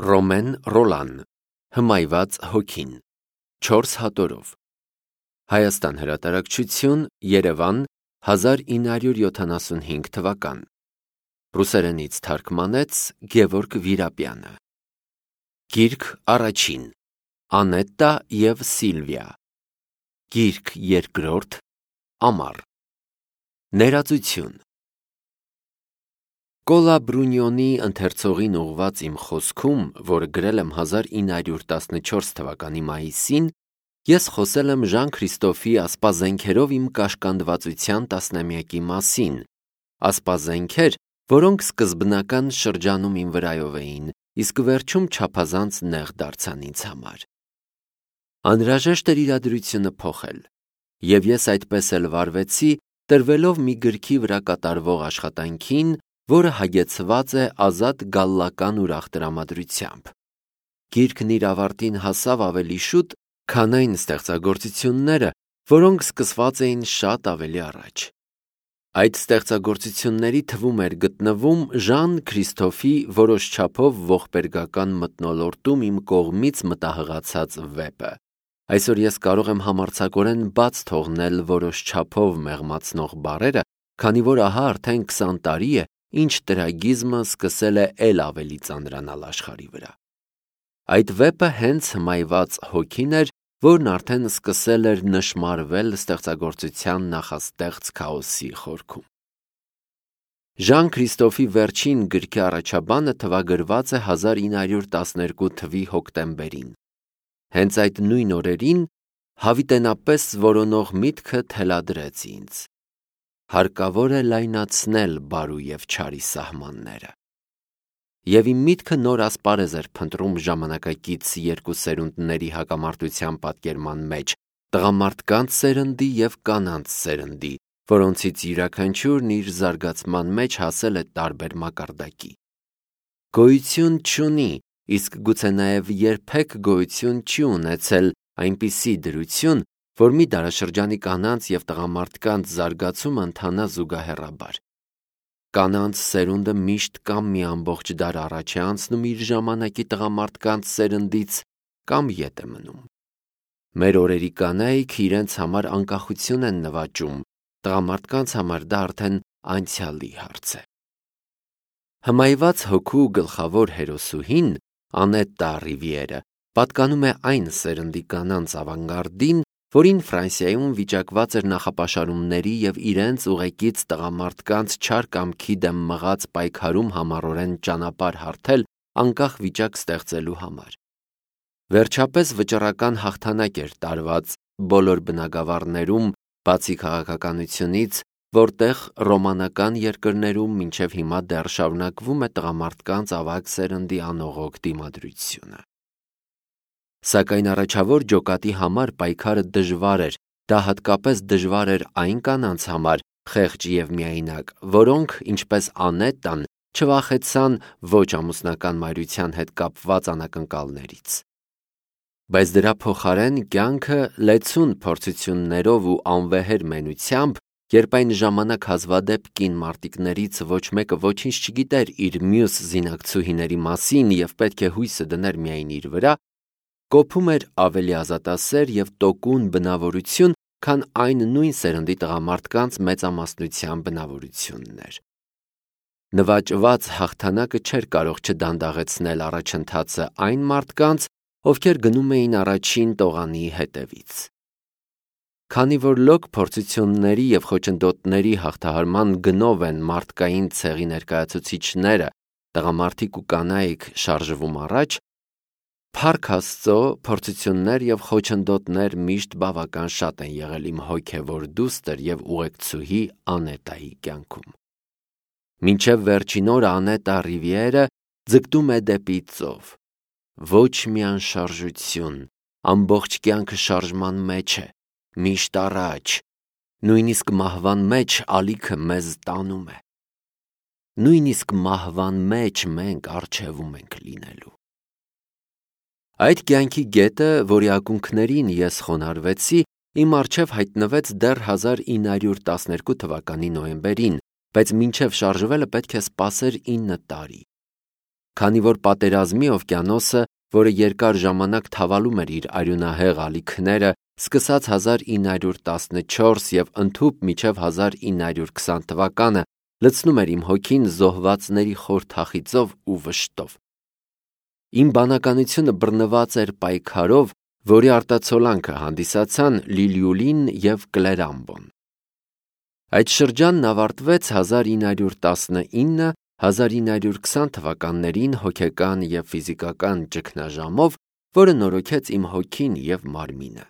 Ռոմեն Ռոլան, Հմայված հոգին, 4 հատորով, Հայաստան հրատարակչություն, Երևան, 1975 թվական, ռուսերենից թարգմանեց Գևորգ Վիրապյանը, Գիրք առաջին, Անետտա և Սիլվիա, Գիրք երկրորդ, Ամառ, Ներածություն, Կոլա Բրունյոնի ընթերցողին ուղված իմ խոսքում, որը գրել եմ 1914 թվականի մայիսին, ես խոսել եմ Ժան Քրիստոֆի ասպազենքերով իմ կաշկանդվածության տասնամյակի մասին, ասպազենքեր, որոնք սկզբնական շրջանում իմ վրայով էին, իսկ վերջում չափազանց նեղ դարձան ինձ համար։ Անհրաժեշտ էր իրադրությունը փոխել, և ես այդպես էլ վարվեցի, տրվելով մի գրքի վրա կատարվող աշխատանքին, որը հագեցված է ազատ գալլական ուրախ տրամադրությամբ։ Գիրքն իր ավարտին հասավ ավելի շուտ, քան այն ստեղծագործությունները, որոնք սկսված էին շատ ավելի առաջ։ Այդ ստեղծագործությունների թվում էր գտնվում Ժան Քրիստոֆի որոշ չափով ողբերգական մթնոլորտում իմ կողմից մտահղացած վեպը։ Այսօր ես կարող եմ համարձակորեն բաց թողնել որոշ չափով մեղմացնող բառերը, քանի որ ահա արդեն 20 տարի է, ինչ տրագիզմը սկսել է էլ ավելի ծանրանալ աշխարհի վրա։ Այդ վեպը հենց հմայված հոգին էր, որն արդեն սկսել էր նշմարվել ստեղծագործության նախաստեղծ քաոսի խորքում։ Ժան Քրիստոֆի վերջին գրքի առաջաբանը թվագրված է 1912 թվականի հոկտեմբերին։ Հենց այդ նույն օրերին հավիտենապես որոնող միտքը թելադրեց ինձ. հարկավոր է լայնացնել բարու և չարի սահմանները։ Եվ իմ միտքը նոր ասպարեզ էր փնտրում ժամանակակից երկու սերունդների հակամարտության պատկերման մեջ՝ տղամարդկանց սերնդի և կանանց սերնդի, որոնցից յուրաքանչյուրն իր զարգացման մեջ հասել է տարբեր մակարդակի։ Գոյություն չունի, իսկ գուցե նաև երբեք գոյություն չի ունեցել այնպիսի դրություն, որ մի դարաշրջանի կանանց և տղամարդկանց զարգացումը ընթանա զուգահեռաբար։ Կանանց սերունդը միշտ կամ մի ամբողջ դար առաջ է անցնում իր ժամանակի տղամարդկանց սերնդից, կամ ետ է մնում։ Մեր օրերի կանայք իրենց համար անկախություն են նվաճում, տղամարդկանց համար դա արդեն անցյալի հարց է։ Հմայված հոգու գլխավոր հերոսուհին՝ Անետտա Ռիվիերը, պատկանում է այն սերնդի կանանց ավանգարդին, որին Ֆրանսիայում վիճակված էր նախապաշարումների և իրենց ուղեկից տղամարդկանց չար կամքի դեմ մղած պայքարում համառորեն ճանապարհ հարթել անկախ վիճակ ստեղծելու համար։ Վերջապես վճռական հաղթանակ էր տարված բոլոր բնագավառներում, բացի քաղաքականությունից, որտեղ ռոմանական երկրներում մինչև հիմա դեռ շարունակվում է տղամարդկանց ավագ սերնդի անողոք դիմադրությունը։ Սակայն առաջավոր ջոկատի համար պայքարը դժվար էր, դա հատկապես դժվար էր այն կանանց համար, խեղճ և միայնակ, որոնք, ինչպես Անետտան, չվախեցան ոչ ամուսնական մայրության հետ կապված անակնկալներից։ Բայց դրա փոխարեն կյանքը լեցուն փորձություններով ու անվեհեր մենությամբ, երբ այն ժամանակ հազվադեպ կին մարտիկներից ոչ մեկը ոչինչ չգիտեր իր մյուս զինակցուհիների մասին և պետք է հույսը դներ միայն իր վրա, կոփում էր ավելի ազատասեր և տոկուն բնավորություն, քան այն նույն սերնդի տղամարդկանց մեծամասնության բնավորությունն էր։ Նվաճված հաղթանակը չէր կարող չդանդաղեցնել առաջընթացը այն մարդկանց, ովքեր գնում էին առաջին տողանի հետևից։ Քանի որ լոկ փորձությունների և խոչընդոտների հաղթահարման գնով են մարդկային ցեղի ներկայացուցիչները, տղամարդիկ ու կանայք շարժվում առաջ, փառք Աստծո, փորձություններ և խոչընդոտներ միշտ բավական շատ են եղել իմ հոգևոր դուստր և ուղեկցուհի Անետտայի կյանքում։ Մինչև վերջին օրը Անետտա Ռիվիերը ձգտում է դեպի ծով։ Ոչ մի անշարժություն, ամբողջ կյանքը շարժման մեջ է, միշտ առաջ, նույնիսկ մահվան մեջ ալիքը մեզ տանում է։ Նույնիսկ մահվան մեջ մենք առջևում ենք լինելու։ Այդ կյանքի գետը, որի ակունքներին ես խոնարհվեցի, իմ առջև հայտնվեց դեռ 1912 թվականի նոյեմբերին, բայց մինչև շարժվելը պետք է սպասեր 9 տարի։ քանի որ պատերազմի օվկիանոսը, որը երկար ժամանակ թավալում էր իր արյունահեղ ալիքները, սկսած 1914 և ընդհուպ մինչև 1920 թվականը, լցնում էր իմ հոգին զոհվածների խոր թախիծով ու վշտով։ Իմ բանականությունը բռնված էր պայքարով, որի արտացոլանքը հանդիսացան Լիլյուլին և Կլերամբոն։ Այդ շրջանն ավարտվեց 1919-1920 թվականներին հոգեկան և ֆիզիկական ճգնաժամով, որը նորոգեց իմ հոգին և մարմինը։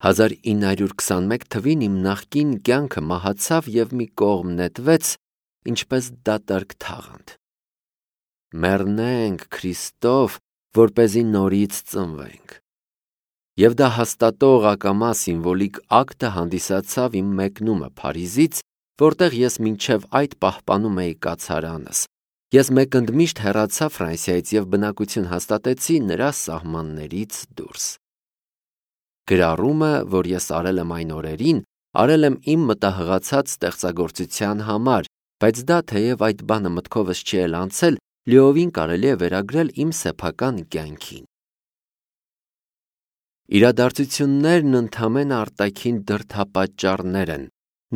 1921 թվին իմ նախկին կյանքը մահացավ և մի կողմ նետվեց, ինչպես դատարկ թաղանթ։ Մեռնենք, Քրիստով, որպեսզի նորից ծնվենք։ Եվ դա հաստատող ակամա սիմվոլիկ ակտը հանդիսացավ իմ մեկնումը Փարիզից, որտեղ ես մինչև այդ պահպանում էի կացարանս։ Ես մեկընդմիշտ հեռացա Ֆրանսիայից և բնակություն հաստատեցի նրա սահմաններից դուրս։ Գրառումը, որ ես արել եմ այն օրերին, արել եմ իմ մտահղացած ստեղծագործության համար, բայց դա, թեև այդ բանը մտքովս չի էլ անցել, լիովին կարելի է վերագրել իմ սեփական կյանքին։ Իրադարձություններն ընդամենը արտաքին դրդապատճառներ են,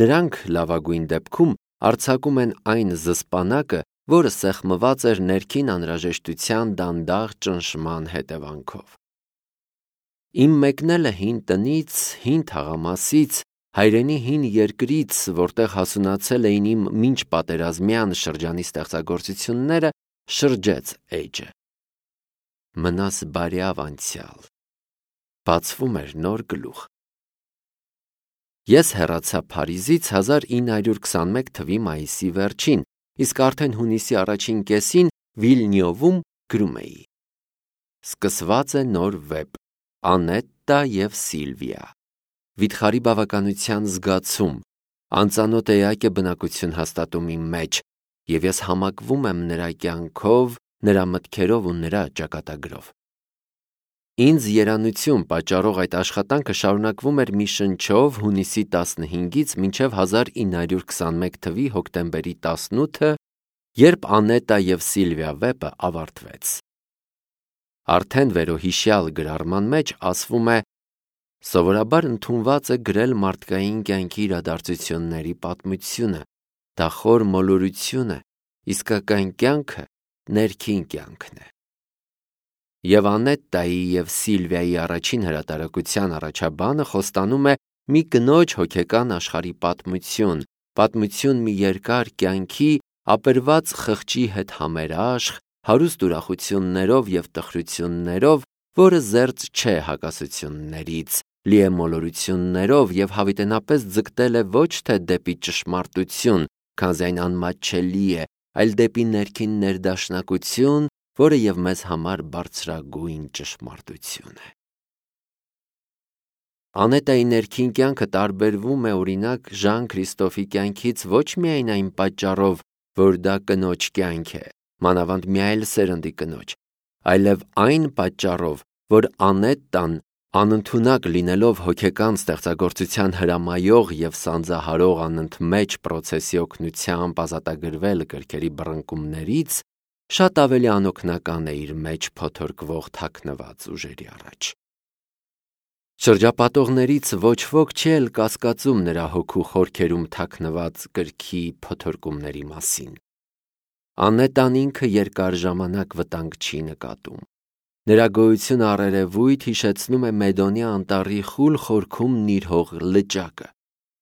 նրանք լավագույն դեպքում արձակում են այն զսպանակը, որը սեղմված էր ներքին անհրաժեշտության դանդաղ ճնշման հետևանքով։ Իմ մեկնելը հին տնից, հին թաղամասից, հայրենի հին երկրից, որտեղ հասունացել էին իմ մինչ պատերազմյան շրջանի ստեղծագործությունները, շրջեց էջը։ Մնաս բարյավ անցյալ, բացվում էր նոր գլուխ։ Ես հեռացա Փարիզից 1921 թվի մայիսի վերջին, իսկ արդեն հունիսի առաջին կեսին Վիլնյովում գրում էի. Սկսված է նոր վեպ Անետտա և Սիլվիա։ Վիթխարի բավականության զգացում, անծանոթ էակ է բնակություն հաստատում իմ մեջ, և ես համակվում եմ նրա կյանքով, նրա մտքերով ու նրա ճակատագրով։ Ինձ երանություն պատճառող այդ աշխատանքը շարունակվում էր մի շնչով հունիսի 15-ից մինչև 1921 թվի հոկտեմբերի 18-ը, երբ Անետտա և Սիլվիա վեպը ավարտվեց։ Արդեն վերոհիշյալ գրառման մեջ ասվում է. սովորաբար ընդունված է գրել մարդկային կյանքի իրադարձությունների պատմությունը, դա խոր մոլորություն է, իսկական կյանքը ներքին կյանքն է։ Եվ Անետտայի և Սիլվիայի առաջին հրատարակության առաջաբանը խոստանում է մի կնոջ հոգեկան աշխարհի պատմություն մի երկար կյանքի, ապերված խղճի հետ համերաշխ, հարուստ ուրախություններով և տխրություններով, որը զերծ չէ հակասություններից, լի է մոլորություններով և հավիտենապես ձգտել է ոչ թե դեպի ճշմարտություն, քանզի այն անմատչելի է, այլ դեպի ներքին ներդաշնակություն, որը և մեզ համար բարձրագույն ճշմարտություն է։ Անետտայի ներքին կյանքը տարբերվում է օրինակ Ժան Քրիստոֆի կյանքից ոչ միայն այն պատճառով, որ դա կնոջ կյանք է, մանավանդ մի այլ սերնդի կնոջ, այլև այն պատճառով, որ Անետտան, անընդունակ լինելով հոգեկան ստեղծագործության հրամայող և սանձահարող անընդմեջ պրոցեսի օգնությամբ ազատագրվել գրքերի բռնկումներից, շատ ավելի անօգնական է իր մեջ փոթորկվող թաքնված ուժերի առաջ։ Շրջապատողներից ոչ ոք չի էլ կասկածում նրա հոգու խորքերում թաքնված գրքի փոթորկումների մասին։ Անետտան ինքը երկար ժամանակ վտանգ չի նկատում։ Նրա գոյությունը առերևույթ հիշեցնում է Մեդոնի անտառի խուլ խորքում նիրհող լճակը։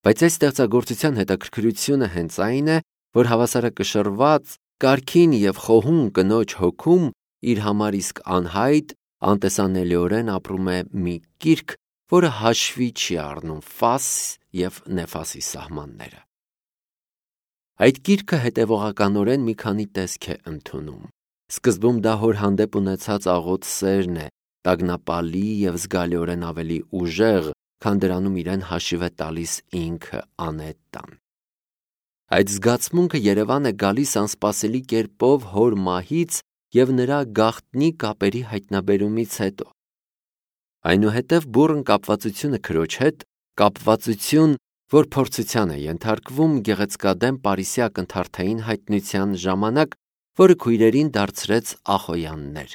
Բայց այս ստեղծագործության հետաքրքրությունը հենց այն է, որ հավասարակշռված, կարգին և խոհուն կնոջ հոգում իր համար իսկ անհայտ, անտեսանելիորեն ապրում է մի կիրք, որը հաշվի չի առնում Ֆաս և Նեֆասի սահմանները։ Այդ գիրքը հետևողականորեն մի քանի տեսք է ընդունում։ Սկզբում դա հոր հանդեպ ունեցած աղոտ սերն է, տագնապալի և զգալիորեն ավելի ուժեղ, քան դրանում իրեն հաշիվ է տալիս ինքը Անետտան։ Այդ զգացմունքը երևան է գալիս անսպասելի կերպով հոր մահից և նրա գաղտնի կապերի հայտնաբերումից հետո։ Այնուհետև բուռն կապվածությունը քրոջ հետ, կապվածություն, որ փորձության է ենթարկվում գեղեցկադեմ պարիսյա ակնթարթային հայտնության ժամանակ, որը քույրերին դարձրեց ախոյաններ։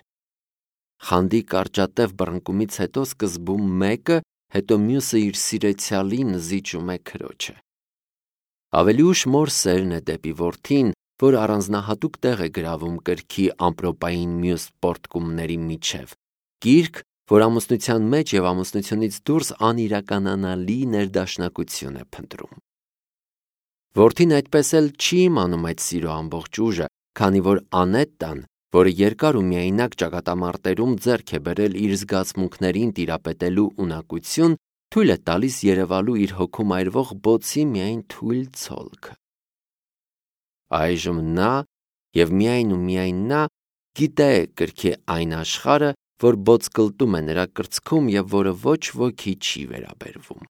Խանդի կարճատև բռնկումից հետո սկզբում մեկը, հետո մյուսը իր սիրեցյալին զիջում է քրոջը։ Ավելի ուշ մոր սերն է դեպի որդին, որ առանձնահատուկ տեղ է գրավում կրքի ամպրոպային մյուս պորտկումների միջև, գիրք, որ ամուսնության մեջ և ամուսնությունից դուրս անիրականանալի ներդաշնակություն է փնտրում։ Որդին այդպես էլ չի իմանում այդ սիրո ամբողջ ուժը, քանի որ Անետտան, որը երկար ու միայնակ ճակատամարտերում ձեռք է բերել իր զգացմունքներին տիրապետելու ունակություն, թույլ է տալիս երևալու իր հոգում այրվող բոցի միայն թույլ ցոլքը։ Այժմ նա և միայն նա գիտե կրքի այն աշխարհը, որ բոցկլտում է նրա կրծքում և որը ոչ ոքի չի վերաբերվում։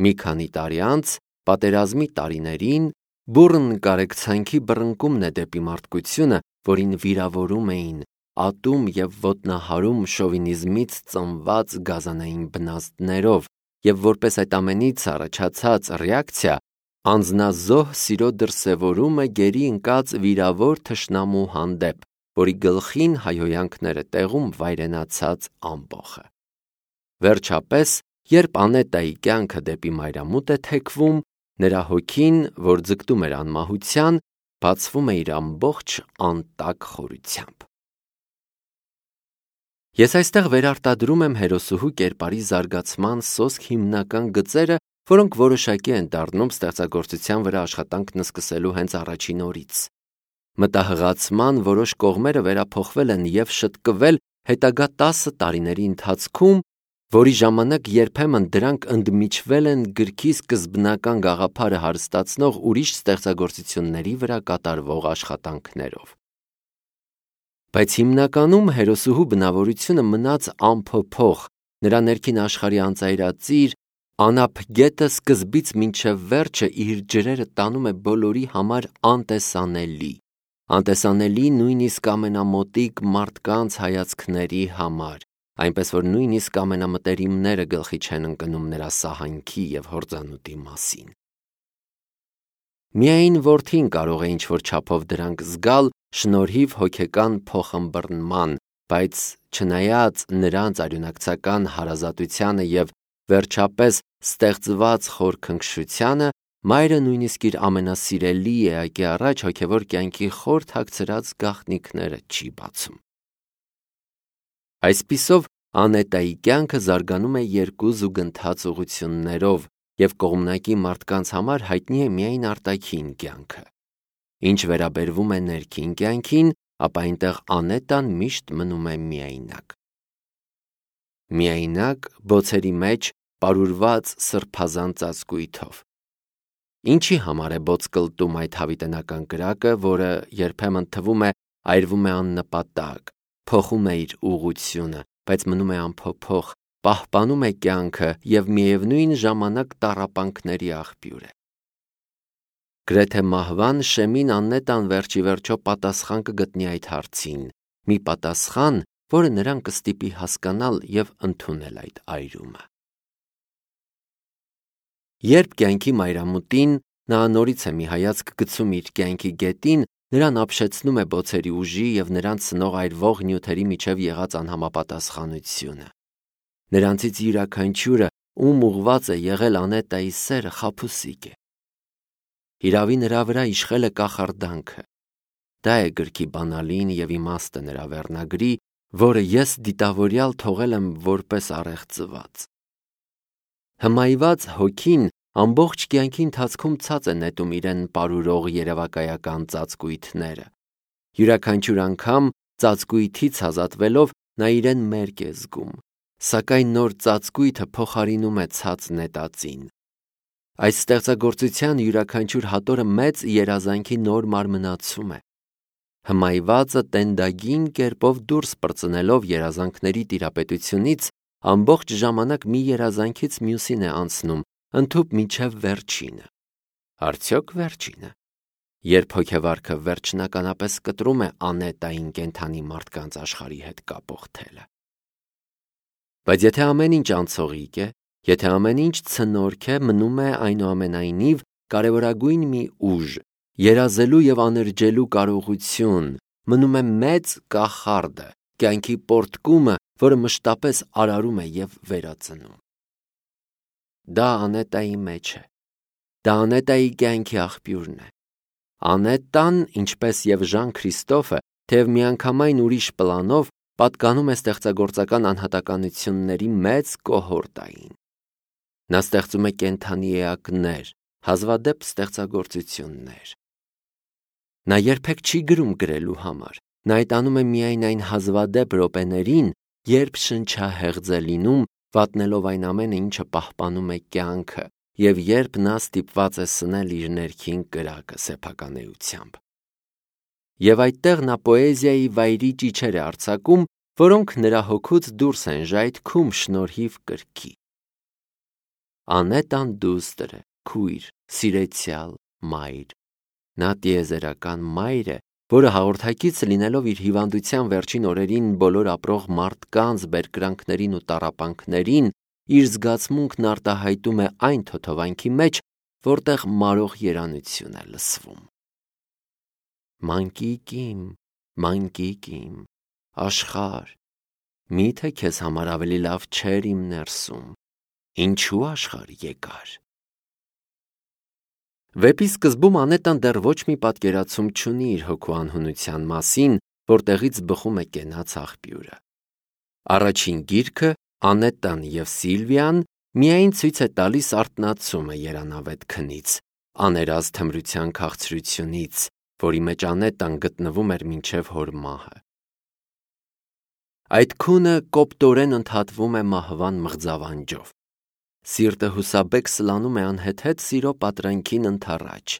Մի քանի տարի անց, պատերազմի տարիներին, բուռն կարեկցանքի բռնկումն է դեպի մարդկությունը, որին վիրավորում էին, ատում և ոտնահարում շովինիզմից ծնված գազանային բնազդներով, և որպես այդ ամենից առաջացած ռեակցիա, անձնազոհ սիրո դրսևորում է գերի ընկած վիրավոր թշնամու հանդեպ, որի գլխին հայհոյանքներ է տեղում վայրենացած ամբոխը։ Վերջապես, երբ Անետտայի կյանքը դեպի մայրամուտ է թեքվում, նրա հոգին, որ ձգտում էր անմահության, բացվում է իր ամբողջ անտակ խորությամբ։ Ես այստեղ վերարտադրում եմ հերոսուհու կերպարի զարգացման սոսկ հիմնական գծերը, որոնք որոշակի են դառնում ստեղծագործության վրա աշխատանքն սկսելու հենց առաջին օրից։ Մտահղացման որոշ կողմերը վերափոխվել են և շտկվել հետագա 10 տարիների ընթացքում, որի ժամանակ երբեմն դրանք ընդմիջվել են գրքի սկզբնական գաղափարը հարստացնող ուրիշ ստեղծագործությունների վրա կատարվող աշխատանքներով։ Բայց հիմնականում հերոսուհու բնավորությունը մնաց անփոփոխ, նրա ներքին աշխարհի անծայրածիր, անապ գետը սկզբից մինչև վերջը իր ջրերը տանում է բոլորի համար անտեսանելի նույնիսկ ամենամոտիկ մարդկանց հայացքների համար, այնպես որ նույնիսկ ամենամտերիմները գլխի չեն ընկնում նրա սահանքի և հորձանուտի մասին։ Միայն որդին կարող է ինչ-որ չափով դրանք զգալ շնորհիվ հոգեկան փոխըմբռնման, բայց չնայած նրանց արյունակցական հարազատությանը և վերջապես ստեղծված խորքնքշությանը, մայրը նույնիսկ իր ամենասիրելի էակի առաջ հոգևոր կյանքի խոր թաքցրած գաղտնիքները չի բացում։ Այսպիսով, Անետտայի կյանքը զարգանում է երկու զուգընթաց ուղղություններով, և կողմնակի մարդկանց համար հայտնի է միայն արտաքին կյանքը։ Ինչ վերաբերվում է ներքին կյանքին, ապա այնտեղ Անետտան միշտ մնում է միայնակ։ Միայնակ բոցերի մեջ պարուրված սրբազան ծածկույթով։ Ինչի համար է բոցկլտում այդ հավիտենական կրակը, որը երբեմն թվում է այրվում է աննպատակ, փոխում է իր ուղղությունը, բայց մնում է անփոփոխ, պահպանում է կյանքը և միևնույն ժամանակ տառապանքների աղբյուր է։ Գրեթե մահվան շեմին Անետտան վերջիվերջո պատասխան կգտնի այդ հարցին, մի պատասխան, որը նրան կստիպի հասկանալ և ընդունել այդ այրումը։ Երբ կյանքի մայրամուտին նա նորից է մի հայացք գցում իր կյանքի գետին, նրան ապշեցնում է բոցերի ուժի և նրանց սնող այրվող նյութերի միջև եղած անհամապատասխանությունը։ Նրանցից յուրաքանչյուրը, ում ուղղված է եղել Անետտայի սերը, խաբուսիկ է։ Հիրավի նրա վրա իշխել է կախարդանքը։ Դա է գրքի բանալին և իմաստը նրա վերնագրի, որը ես դիտավորյալ թողել եմ որպես առեղծված։ Հմայված հոգին ամբողջ կյանքի ընթացքում ցած է նետում իրեն պարուրող երևակայական ծածկույթները։ Յուրաքանչյուր անգամ ծածկույթից ազատվելով նա իրեն մերկ է զգում, սակայն նոր ծածկույթը փոխարինում է ցած նետածին։ Այս ստեղծագործության յուրաքանչյուր հատորը մեծ երազանքի նոր մարմնացում է։ Հմայվածը տենդագին կերպով դուրս պրծնելով երազանքների տիրապետությունից ամբողջ ժամանակ մի երազանքից մյուսին է անցնում, ընդհուպ մինչև վերջինը։ Արդյոք վերջինը, երբ հոգեվարքը վերջնականապես կտրում է Անետտային կենդանի մարդկանց աշխարհի հետ կապող թելը։ Բայց եթե ամեն ինչ անցողիկ է, եթե ամեն ինչ ցնորք է, մնում է այնուամենայնիվ կարևորագույն մի ուժ, երազելու և աներջելու կարողություն, մնում է մեծ կախարդը, կյանքի պոռթկումը, որը մշտապես արարում է և վերածնում։ Դա Անետայի մեջ է։ Դա Անետայի կյանքի աղբյուրն է։ Անետան, ինչպես և Ժան Քրիստոֆը, թեև միանգամայն ուրիշ պլանով, պատկանում է ստեղծագործական անհատականությունների մեծ կոհորտային։ Նա ստեղծում է կենդանի էակներ, հազվադեպ ստեղծագործություններ։ Նա երբեք չի գրում գրելու համար, նա այդ անում է միայն այն հազվադեպ րոպեներին, երբ շնչահեղձ է լինում, վատնելով այն ամենը, ինչը պահպանում է կյանքը, և երբ նա ստիպված է սնել իր ներքին կրակը սեփական էությամբ։ Եվ այդտեղ նա պոեզիայի վայրի ճիչեր է արձակում, որոնք նրա հոգուց դուրս են ժայթքում շնորհիվ կրքի։ Անետան դուստր է, քույր, սիրեցյալ, մայր։ Նա տիեզերական մայր է, որը հաղորդակից լինելով իր հիվանդության վերջին օրերին բոլոր ապրող մարդկանց բերկրանքներին ու տառապանքներին, իր զգացմունքն արտահայտում է այն թոթովանքի մեջ, որտեղ մարող երանություն է լսվում։ Մանկիկ իմ, աշխարհ, միթե քեզ համար ավելի լավ չէր իմ ներսում, ինչու աշխարհ եկար։ Վեպի սկզբում Անետան դեռ ոչ մի պատկերացում չունի իր հոգու անհունության մասին, որտեղից բխում է կենաց աղբյուրը։ Առաջին գիրքը Անետան և Սիլվիան միայն ցույց է տալիս արթնացումը երանավետ քնից, աներազ թմրության քաղցրությունից, որի մեջ Անետան գտնվում էր մինչև հոր մահը։ Այդ քունը կոպտորեն ընդհատվում է մահվան մղձավանջով։ Սիրտը հուսաբեկ սլանում է անհեթեթ սիրո պատրանքին ընդառաջ։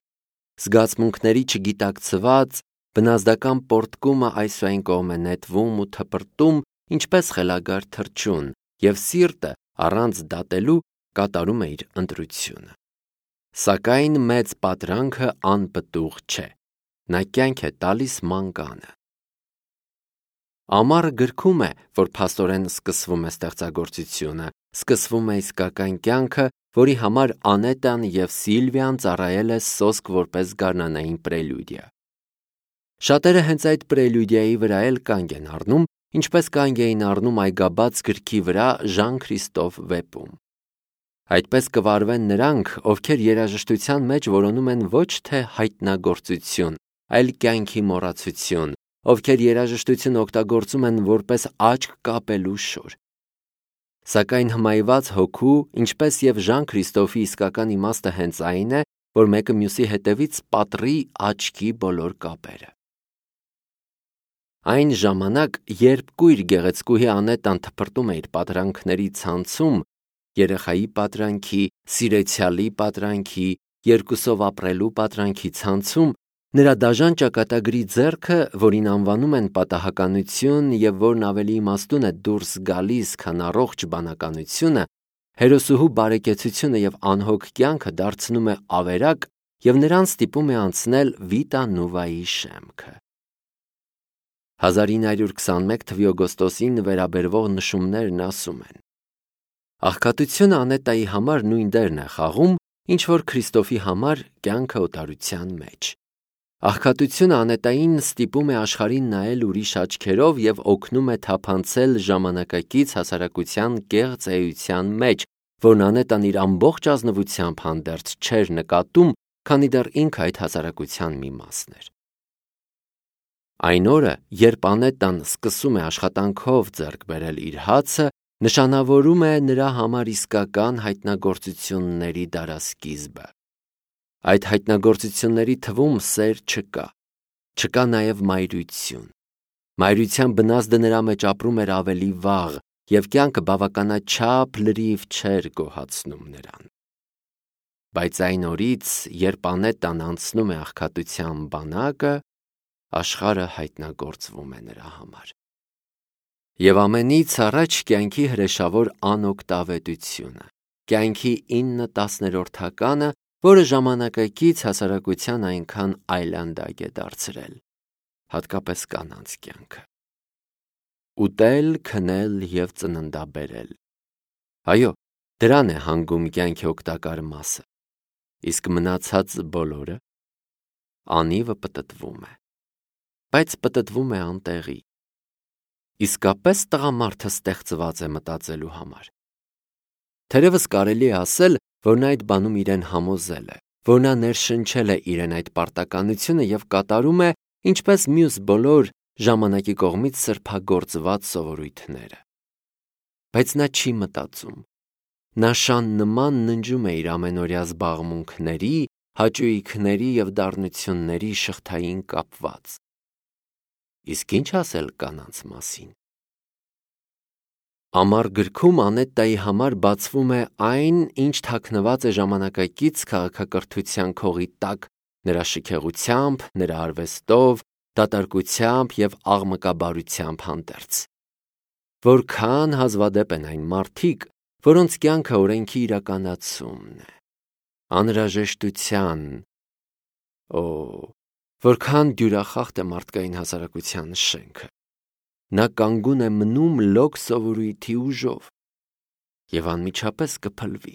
Զգացմունքների չգիտակցված, բնազդական պոռթկումը այս ու այն կողմ է նետվում ու թպրտում, ինչպես խելագար թռչուն, և սիրտը, առանց դատելու, կատարում է իր ընտրությունը։ Սակայն մեծ պատրանքը անպտուղ չէ։ Նա կյանք է տալիս մանկանը։ Ամառը գրքում է, որ փաստորեն սկսվում է ստեղծագործությունը, սկսվում է իսկական կյանքը, որի համար Անետան և Սիլվիան ծառայել է սոսկ որպես գարնանային պրելյուդիա։ Շատերը հենց այդ պրելյուդիայի վրա էլ կանգ են առնում, ինչպես կանգ էին առնում Այգաբաց գրքի վրա Ժան Քրիստոֆ վեպում։ Այդպես կվարվեն նրանք, ովքեր երաժշտության մեջ որոնում են ոչ թե հայտնագործություն, այլ կյանքի մոռացություն, ովքեր երաժշտությունը օգտագործում են որպես աչք կապելու շոր։ Սակայն հմայված հոգու, ինչպես և Ժան Քրիստոֆի իսկական իմաստը հենց այն է, որ մեկը մյուսի հետևից պատռի աչքի բոլոր կապերը։ Այն ժամանակ, երբ կույր գեղեցկուհի Անետան թփրտում է իր պատրանքների ցանցում, երեխայի պատրանքի, սիրեցյալի պատրանքի, երկուսով ապրելու պատրանքի ցանցում, նրա դաժան ճակատագրի ձեռքը, որին անվանում են պատահականություն և որն ավելի իմաստուն է դուրս գալիս, քան առողջ բանականությունը, հերոսուհու բարեկեցությունը և անհոգ կյանքը դարձնում է ավերակ և նրան ստիպում է անցնել Վիտա Նուվայի շեմքը։ 1921 թվականի օգոստոսին վերաբերվող նշումներն ասում են. աղքատությունը Անետայի համար նույն դերն է խաղում, ինչ որ Քրիստոֆի համար կյանքը օտարության մեջ։ Աղքատությունը Անետային ստիպում է աշխարհին նայել ուրիշ աչքերով և օգնում է թափանցել ժամանակակից հասարակության կեղծ էության մեջ, որն Անետան իր ամբողջ ազնվությամբ հանդերձ չէր նկատում, քանի դեռ ինքը այդ հասարակության մի մասն էր։ Այն օրը, երբ Անետան սկսում է աշխատանքով ձեռք բերել իր հացը, նշանավորում է նրա համար իսկական հայտնագործությունների դարասկիզբը։ Այդ հայտնագործությունների թվում սեր չկա։ Չկա նաև մայրություն։ Մայրության բնազդը նրա մեջ ապրում էր ավելի վաղ, և կյանքը բավականաչափ լրիվ չէր գոհացնում նրան։ Բայց այն օրից, երբ Անետան անցնում է աղքատության բանակը, աշխարհը հայտնագործվում է նրա համար։ Եվ ամենից առաջ կյանքի հրեշավոր անօգտավետությունը, կյանքի 9/10-ականը, որը ժամանակակից հասարակության այնքան այլանդակ է դարձրել, հատկապես կանանց կյանքը։ Ուտել, քնել և ծննդաբերել։ Այո, դրան է հանգում կյանքի օգտակար մասը։ Իսկ մնացած բոլորը։ անիվը պտտվում է, բայց պտտվում է անտեղի։ Իսկապես տղամարդը ստեղծված է մտածելու համար։ Թերևս կարելի է ասել, որ նա այդ բանում իրեն համոզել է, որ նա ներշնչել է իրեն այդ պարտականությունը և կատարում է, ինչպես մյուս բոլոր ժամանակի կողմից սրբագործված սովորույթները։ Բայց նա չի մտածում։ Նա շան նման ննջում է իր ամենօրյա զբաղմունքների, հաճույքների և դառնությունների շղթային կապված։ Իսկ ինչ ասել կանանց մասին։ Ամառ գրքում Անետտայի համար բացվում է այն, ինչ թաքնված է ժամանակակից քաղաքակրթության քողի տակ, նրա շքեղությամբ, նրա արվեստով, դատարկությամբ և աղմկաբարությամբ հանդերձ։ Որքան հազվադեպ են այն մարդիկ, որոնց կյանքը օրենքի իրականացումն է, անհրաժեշտության, որքան դյուրախախտ է մարդկային հասարակության շենքը։ Նա կանգուն է մնում լոկ սովորույթի ուժով և անմիջապես կփլվի։